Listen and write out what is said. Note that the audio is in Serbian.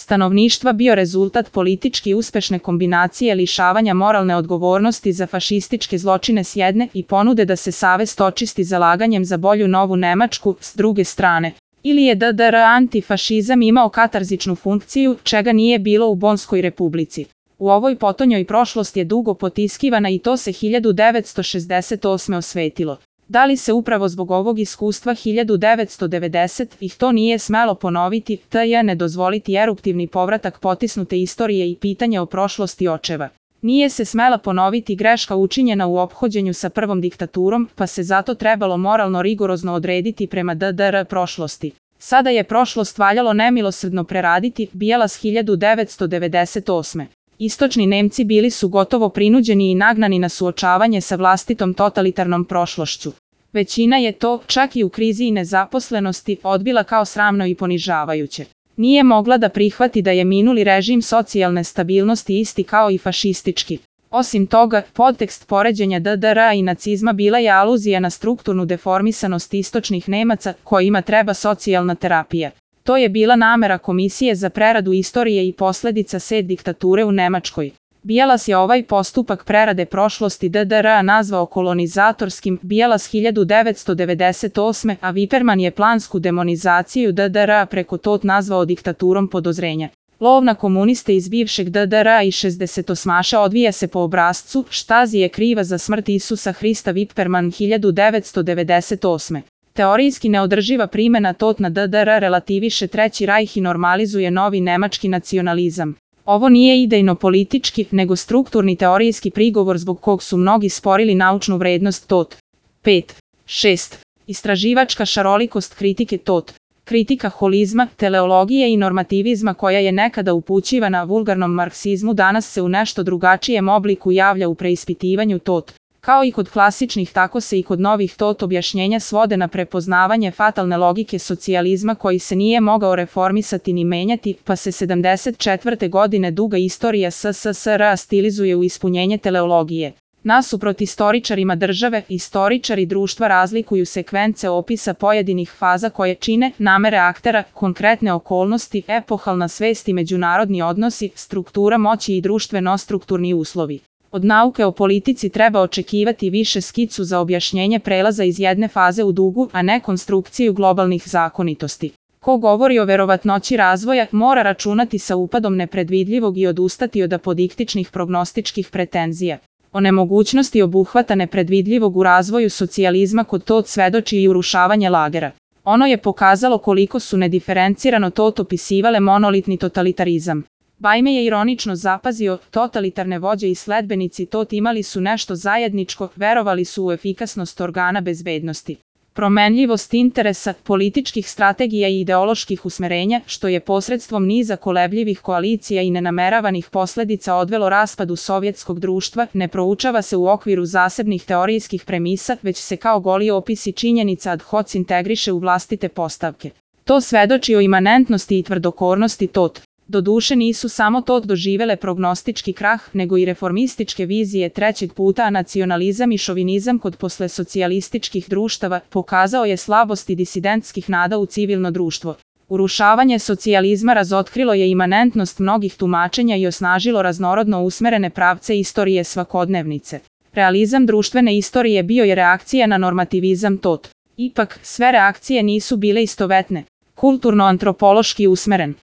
stanovništva bio rezultat politički uspešne kombinacije lišavanja moralne odgovornosti za fašističke zločine s jedne i ponude da se savest očisti zalaganjem za bolju novu Nemačku s druge strane. Ili je DDR antifašizam imao katarzičnu funkciju, čega nije bilo u Bonskoj republici. U ovoj potonjoj prošlost je dugo potiskivana i to se 1968. osvetilo. Da li se upravo zbog ovog iskustva 1990-ih to nije smelo ponoviti, ne dozvoliti eruptivni povratak potisnute istorije i pitanje o prošlosti očeva. Nije se smela ponoviti greška učinjena u ophođenju sa prvom diktaturom, pa se zato trebalo moralno rigorozno odrediti prema DDR prošlosti. Sada je prošlost valjalo nemilosrdno preraditi, Bjelas 1998. Istočni Nemci bili su gotovo prinuđeni i nagnani na suočavanje sa vlastitom totalitarnom prošlošću. Većina je to, čak i u krizi i nezaposlenosti, odbila kao sramno i ponižavajuće. Nije mogla da prihvati da je minuli režim socijalne stabilnosti isti kao i fašistički. Osim toga, podtekst poređenja DDR-a i nacizma bila je aluzija na strukturnu deformisanost istočnih Nemaca, kojima treba socijalna terapija. To je bila namera Komisije za preradu istorije i posledica SED diktature u Nemačkoj. Bjelas je ovaj postupak prerade prošlosti DDR-a nazvao kolonizatorskim, Bjelas 1998. a Viperman je plansku demonizaciju DDR-a preko tot nazvao diktaturom podozrenja. Lov na komuniste iz bivšeg DDR-a i 68. odvija se po obrascu Štazi je kriva za smrt Isusa Hrista Viperman 1998. Teorijski neodrživa primjena tot na DDR relativiše Treći rajh i normalizuje novi nemački nacionalizam. Ovo nije idejno politički, nego strukturni teorijski prigovor zbog kog su mnogi sporili naučnu vrednost tot. 5. 6. Istraživačka šarolikost kritike tot. Kritika holizma, teleologije i normativizma koja je nekada upućivana vulgarnom marksizmu danas se u nešto drugačijem obliku javlja u preispitivanju tot. Kao i kod klasičnih, tako se i kod novih tot objašnjenja svode na prepoznavanje fatalne logike socijalizma koji se nije mogao reformisati ni menjati, pa se 74. godine duga istorija SSSR stilizuje u ispunjenje teleologije. Nasuprot istoričarima države, istoričari društva razlikuju sekvence opisa pojedinih faza koje čine namere aktera, konkretne okolnosti, epohalna svest i međunarodni odnosi, struktura moći i društveno-strukturni uslovi. Od nauke o politici treba očekivati više skicu za objašnjenje prelaza iz jedne faze u drugu, a ne konstrukciju globalnih zakonitosti. Ko govori o verovatnoći razvoja, mora računati sa upadom nepredvidljivog i odustati od apodiktičnih prognostičkih pretenzija. O nemogućnosti obuhvata nepredvidljivog u razvoju socijalizma kod tot svedoči i urušavanje lagera. Ono je pokazalo koliko su nediferencirano tot opisivale monolitni totalitarizam. Bajme je ironično zapazio, totalitarne vođe i sledbenici tot imali su nešto zajedničko, verovali su u efikasnost organa bezbednosti. Promenljivost interesa, političkih strategija i ideoloških usmerenja, što je posredstvom niza kolebljivih koalicija i nenameravanih posledica odvelo raspadu sovjetskog društva, ne proučava se u okviru zasebnih teorijskih premisa, već se kao goli opisi činjenica ad hoc integriše u vlastite postavke. To svedoči o imanentnosti i tvrdokornosti tot. Doduše nisu samo tot doživele prognostički krah, nego i reformističke vizije trećeg puta, a nacionalizam i šovinizam kod poslesocijalističkih društava pokazao je slabost i disidentskih nada u civilno društvo. Urušavanje socijalizma razotkrilo je imanentnost mnogih tumačenja i osnažilo raznorodno usmerene pravce istorije svakodnevnice. Realizam društvene istorije bio je reakcija na normativizam tot. Ipak, sve reakcije nisu bile istovetne. Kulturno-antropološki usmeren.